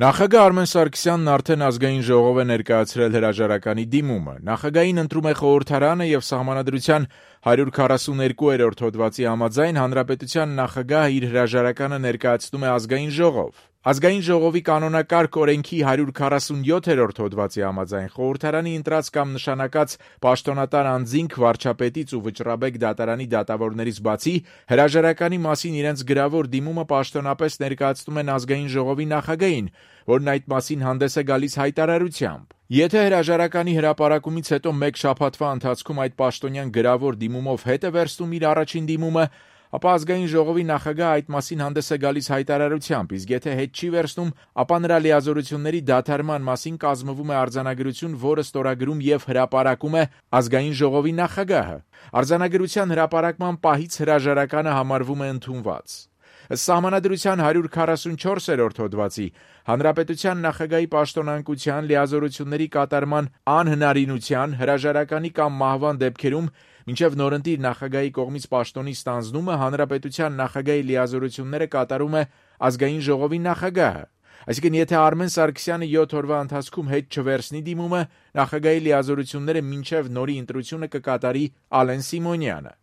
Նախագահ Արմեն Սարգսյանն արդեն ազգային ժողով է ներկայացրել հրաժարականի դիմումը։ Նախագահին ընտրում է խորհրդարանը եւ Սահմանադրության 142-րդ հոդվածի համաձայն Հանրապետության նախագահը իր հրաժարականը ներկայացնում է ազգային ժողով։ Ազգային ժողովի կանոնակարգ օրենքի 147-րդ հոդվածի համաձայն խորհրդարանի ընտրած կամ նշանակած պաշտոնատար անձինք վարչապետից ու վճռաբեկ դատարանի դատավորներից բացի հրաժարականի մասին իրենց գրավոր դիմումը պաշտոնապես ներկայացնում են ազգային ժողովի նախագահին, որն այդ մասին հանդես է գալիս հայտարարությամբ։ Եթե հրաժարականի հրապարակումից հետո մեկ շաբաթվա ընթացքում այդ պաշտոնյան գրավոր դիմումով հետ է վերցնում իր առաջին դիմումը, ապա ազգային ժողովի նախագահը այդ մասին հանդես է գալիս հայտարարությամբ, իսկ եթե հետ չի վերցնում, ապա նրա լիազորությունների դադարման մասին կազմվում է արձանագրություն, որը ստորագրում եւ հրապարակում է ազգային ժողովի նախագահը։ Արձանագրության հրապարակման պահից հրաժարականը համարվում է ընդունված։ Ըստ Սահմանադրության 144-րդ հոդվածի հանրապետության նախագահի պաշտոնանկության, լիազորությունների կատարման անհնարինության, հրաժարականի կամ մահվան դեպքերում մինչև նորընտիր նախագահի կողմից պաշտոնի ստանձնումը հանրապետության նախագահի լիազորությունները կատարում է ազգային ժողովի նախագահը։ Այսինքն, եթե Արմեն Սարգսյանը 7 օրվա ընթացքում հետ չվերցնի դիմումը, նախագահի լիազորությունները մինչև նորի ընտրությունը կկատարի Ալեն Սիմոնյանը։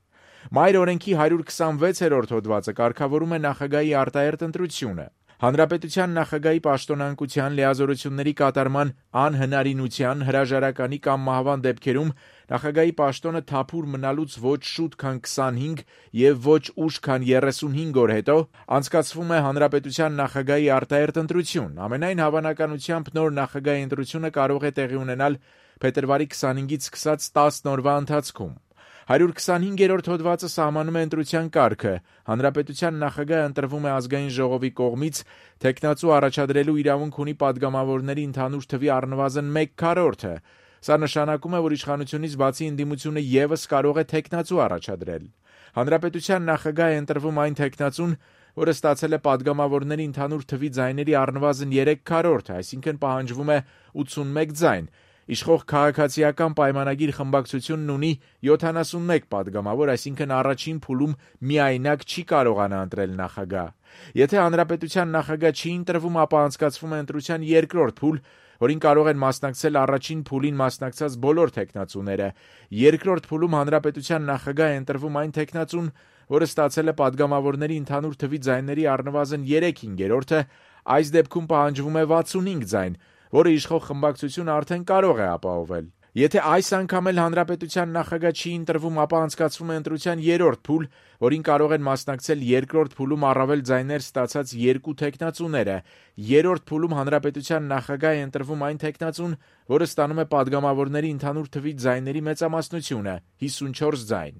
Մայր օրենքի 126-րդ հոդվածը կարգավորում է նախագահի արտահերթ ընտրությունը։ Հանրապետության նախագահի պաշտոնանկության, լիազորությունների կատարման անհնարինության, հրաժարականի կամ մահվան դեպքերում նախագահի պաշտոնը թափուր մնալուց ոչ շուտ քան 25 եւ ոչ ուշ քան 35 օր հետո անցկացվում է հանրապետության նախագահի արտահերթ ընտրություն։ Ամենայն հավանականությամբ նոր նախագահի ընտրությունը կարող է տեղի ունենալ փետրվարի 25-ից սկսած 10 օրվա ընթացքում։ 125-րդ հոդվածը սահմանում է ընտրության կարգը։ Հանրապետության նախագահը ընտրվում է ազգային ժողովի կողմից, թեկնածու առաջադրելու իրավունք ունի падգամավորների ընդհանուր թվի առնվազն 1/4-ը։ Սա նշանակում է, որ իշխանությունից բացի ընդդիմությունը ևս կարող է թեկնածու առաջադրել։ Հանրապետության նախագահ է ընտրվում այն թեկնածուն, որը ստացել է падգամավորների ընդհանուր թվի ձայների առնվազն 3/4, այսինքն պահանջվում է 81 ձայն։ Իշխող քաղաքացիական պայմանագիր խմբակցությունն ունի 71 падգամավոր, այսինքն առաջին փուլում միայնակ չի կարողանա ընտրել նախագահ։ Եթե հանրապետության նախագահ չի ընտրվում, ապա անցկացվում է ընտրության երկրորդ փուլ, որին կարող են մասնակցել առաջին փուլին մասնակցած բոլոր թեկնածուները։ Երկրորդ փուլում հանրապետության նախագահ է ընտրվում այն թեկնածուն, որը ստացել է падգամավորների ընդհանուր թվի ձայների առնվազն 3/5-ը, այս դեպքում պահանջվում է 65 ձայն, որը իշխող խմբակցությունը արդեն կարող է ապահովել։ Եթե այս անգամ էլ հանրապետության նախագահ չի ընտրվում, ապա անցկացվում է ընտրության երրորդ փուլ, որին կարող են մասնակցել երկրորդ փուլում առավել ձայներ ստացած երկու թեկնածուները։ Երրորդ փուլում հանրապետության նախագահ է ընտրվում այն թեկնածուն, որը ստանում է падգամավորների ընդհանուր թվի ձայների մեծամասնությունը՝ 54 ձայն։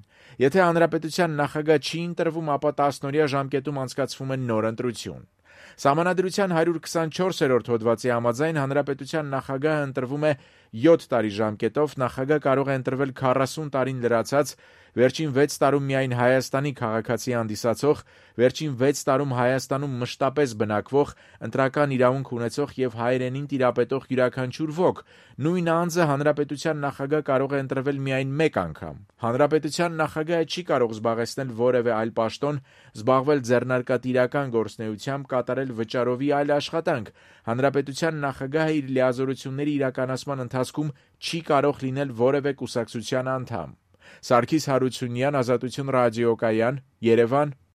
Եթե հանրապետության նախագահ չի ընտրվում, ապա 10-օրյա ժամկետում անցկացվում է նոր ընտրություն։ Սահմանադրության 124-րդ հոդվածի համաձայն հանրապետության նախագահը ընտրվում է 7 տարի ժամկետով, նախագահ կարող է ընտրվել 40 տարին լրացած, վերջին 6 տարում միայն Հայաստանի քաղաքացի հանդիսացող, վերջին 6 տարում Հայաստանում մշտապես բնակվող, ընտրական իրավունք ունեցող եւ հայրենին տիրապետող յուրաքանչյուր ոք։ Նույն անձը հանրապետության նախագահ կարող է ընտրվել միայն մեկ անգամ։ Հանրապետության նախագահը չի կարող զբաղեցնել որևէ այլ պաշտոն, զբաղվել ձեռնարկատիրական գործունեությամբ, կատարել վճարովի այլ աշխատանք։ Հանրապետության նախագահը իր լիազորությունների իրականացման ընթացքում չի կարող լինել որևէ կուսակցության անդամ։ Սարգիս Հարությունյան, Ազատություն ռադիոկայան, Երևան։